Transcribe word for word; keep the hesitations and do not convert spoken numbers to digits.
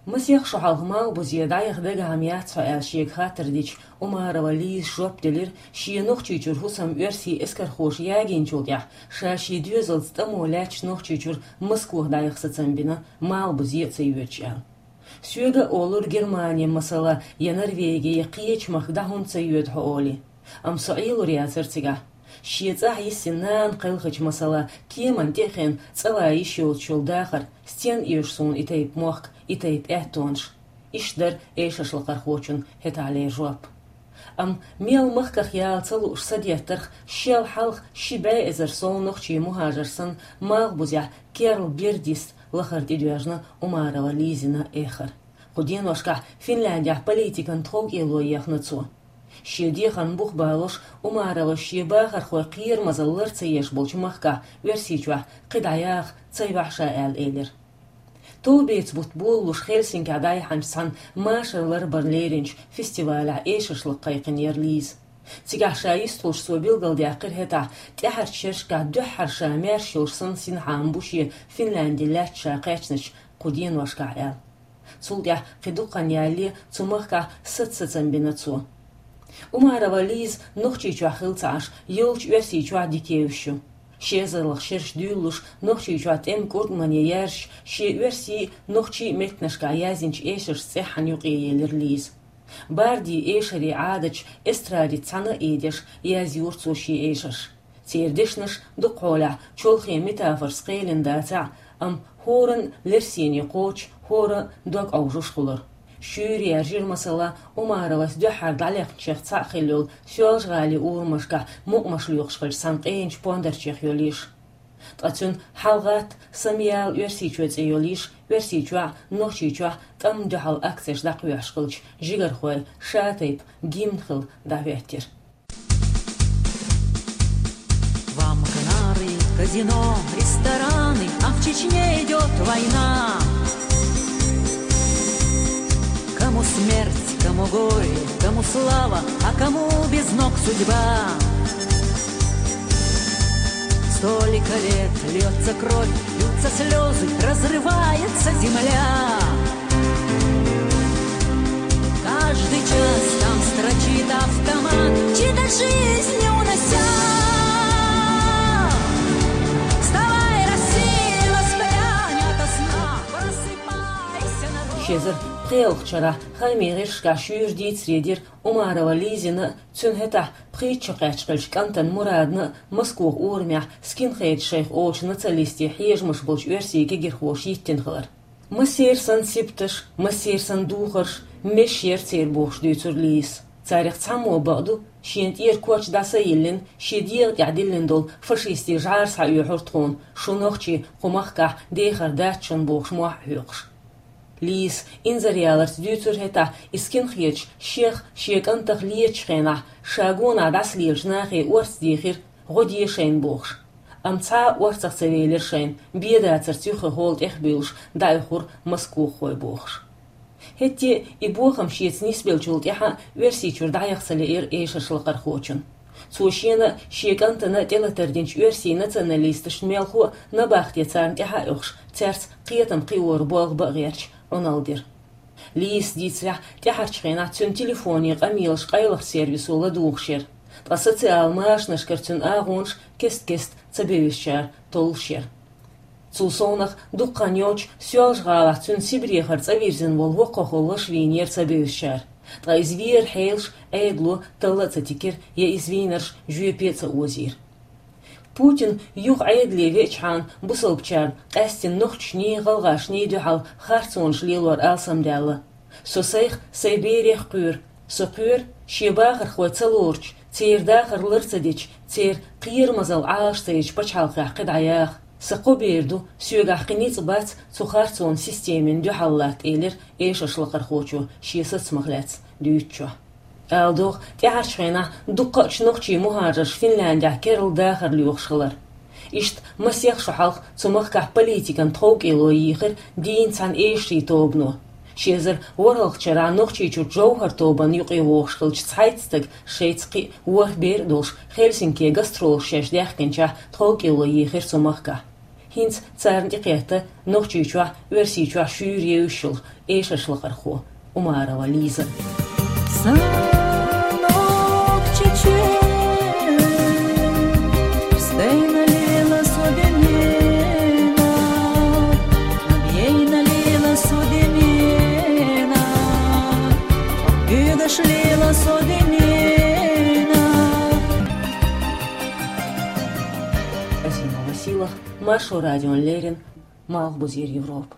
Масех шо хьалха Малхбузе дӀаяха дагахьа ма яц хьо аьлла шега хаттар дича, Умарова Лиза жоп делира, шен Нохчийчуьра хӀусам оьрсийн эскархоша ягийначул тӀаьхьа, ша шен доьзалца тӀамо лаьтташ Нохчийчуьра Москвахь дӀаяха сацам бина, Малхбузе а ца йоьдуш аьлла. Соьга а олура Германе, масала, я Норвеге, я кхечу махка дӀа хӀунда ца йоьду хьо олий. Амма со Ӏелур яцара цигахь. Шен цӀахь йисина нана кхелхича, масала, кеман тӀе а хиъна, цӀа лан йиш йоцуш йолу дахар, стенна оьшу суна и тайпа мохк, и тайпа аьттонаш. Иштта дара эшаршлакхархочун хӀетахьлера жоп. Амма мел махках яла ца лууш садеттарх шел хьалха ши бӀе эзар сов нохчийн мухӀажар санна, Малхбузехь керла бер диста лахара тӀедоьжна Умарова Лизина эхар. Кху деношкахь Финляндехь политикан тховкӀело ехна цо. Шен дехарна бух балош, Умаровас шен бахархой кхерамазалла лар ца еш болчу махкахь, Оьрсийчохь, кхидӀа яха ца йохьу ша аьлла элира. Товбеца бутт болалуш Хельсинкехь дӀаяхьначу цхьана машар ларбарна леринчу фестивалехь эшаршлакх кхайкхинера Лиза. Цигахь ша йистхуьлуш цо билгалдаьккхира хӀетахь, тӀаьхьарчу шерашкахь дуьххьара ша маьрша йолуш санна синхьа ма бу шен Финлянди лаьцна ша кхаьчначу кху деношкахь аьлла. Цул тӀаьхьа кхин дукха хан ялале цу махкахь саца сацам бина цо. Умарова Лиза Нохчийчохь хилла ца Ӏаш, йолчу Оьрсийчохь дика евзаш ю. Ши эзарлагӀа шераш дуьйлалуш, Нохчийчохь тӀеман кӀуртӀамане яьржаш, шен оьрсийн, нохчийн меттанашкахь яздинчу эшаршца цӀеххьана юкъаелира Лиза. Бардийн эшарийн Ӏадаташ эстрадица цхьаьна а ийдеш, язйора цо шен эшарш. Церан дешнаш дукхахьолехь чолхе метафорашца кхелина дацахь а, амма хӀоранна лерсене кхочуш, хӀора дог Ӏовжуш хуьлура. Шуьйра яьржира, масала, Умаровас дуьххьара дӀалехначех цхьаъ хилла йолу Соьлжа-ГӀалин урамашкахь мукъамаш лоькхуш хиллачу цхьана къеначу пондарчех йолу йиш. Ткъа цуьнан «ХьалагӀатта, самаяла Оьрсийчоь» цӀе йолу йиш Оьрсийчохь а, Нохчийчохь а тӀамна дуьхьал акцеш дӀакхоьхьуш хиллачу жигархойн ша тайпа гимн хилла дӀахӀоьттира. Вам Канары, казино, рестораны, а в Чечне идёт война. Кому смерть, кому горе, кому слава, а кому без ног судьба. Столько лет льётся кровь, льются слёзы, разрывается земля. Каждый час там строчит автомат, чьи-то жизни унося. Вставай, Россия, воспрянь ото сна, просыпайся, народ. Ши эзар пхоьалгӀачу шарахь хаамийн гӀирсашкахь шуьйра дийцаре дира Умарова Лизина а, цуьнан хӀетахь пхийтта шо кхаьчна хиллачу кӀантана Мурадна а Москвахь урамехь скинхедаш шайх олучу националистийн хьежамаш болчу оьрсийн кегирхоша йиттина хилар. Массеран санна сибаташ, массеран санна духарш, мешаш яра церан бохуш дуьйцура Лизас. Царах цхьаммо бакъду, шена тӀера коч дӀа са йиллина, шен дегӀа тӀехь диллина долу фашистийн жӀара схьаоьхура тхуна, шу нохчий кху махкахь дехар дац шуна бохуш мохь а хьоькхуш. Лизас инзаре яларца дуьйцура хӀетахь, и скинхедаш шех, шен кӀантах летачу хенахь, ша гонах дӀасалелачу нахе орца дийхира, гӀо де шайна бохуш. Амма цхьа а орцах ца велира шайна, бен дацарца юххе холла тӀехбуьйлуш дӀаоьхура москвахой бохуш. ХӀетте а и бохам шеца нисбеллачул тӀаьхьа Оьрсийчуьра дӀаяха ца лиира эшаршлакхархочун. Цо шена а, шен кӀантана а тӀелатар динчу оьрсийн националисташна мелхо а набахте царна тӀаьхьа а оьхуш, цаьрца кхетам кхиоран болх бан а гӀерташ, Ӏуналла дира. Лизас дийцарехь, тӀаьхьарчу хенахь цуьнан телефонийн къамелаш къайлахчу сервисо ладугӀуш яра, ткъа социал машанашкара цуьнан агӀонаш кест-кеста ца бевзачара толлуш яра. Цул совнах, дукха хан йоццуш Соьлжа-ГӀалахь цуьнан Сибрехара цӀа вирзина волу воккхахула ваша вийнера ца бевзачара, ткъа иза вер хьелаш Ӏедало талла а ца тикира, я иза вийнарш жоьпе а ца озийра. Путин юха Ӏедале веачхьана, бусалбачарна, къаьстина нохчашний, гӀалгӀашний дуьхьал харцонаш лелор алсамдаьлла. Со сайх, сайн берех кхоьру. Со кхоьру, шен бахархой ца лоручу, церан дахар лар ца дечу, церан кхерамазалла Ӏалаш ца ечу пачхьалкхехь кхидӀа яха. Сан кхо бер ду, соьгахь кхин ницкъ бац цу харцонан системина дуьхьал латта, элира эшаршлакхархочо шен сацамах лаьцна дуьйцучохь. Ала догӀу, тӀаьхьарчу хенахь дуккхаъчу нохчийн мухӀажарш Финляндехь керла дахар лоьхуш хилар. Иштта масех шо хьалха цу махкахь политикан тховкӀело йийхира дийна цхьана эшарийн тобано. Ши эзар ворхӀалгӀачу шарахь Нохчийчуьра Джовхар тобанна юкъе вогӀуш хиллачу цхьайтта стага шайца кхин а ворхӀ бер а долуш Хельсинке гастролаш шаьш даьхкинчохь тховкӀело йийхира цу махкахь. ХӀинца царна тӀекхетта Нохчийчохь, Оьрсийчохь шуьйра еш йолу эшарш лакхархо Умарова Лиза. Сан нохчичуьра стенна лела со дуьненахь, бейна лела со дуьненахь, уьдаш лела со дуьненахь. Азима Василах, Маршо радион леррина, Малхбузера Европа.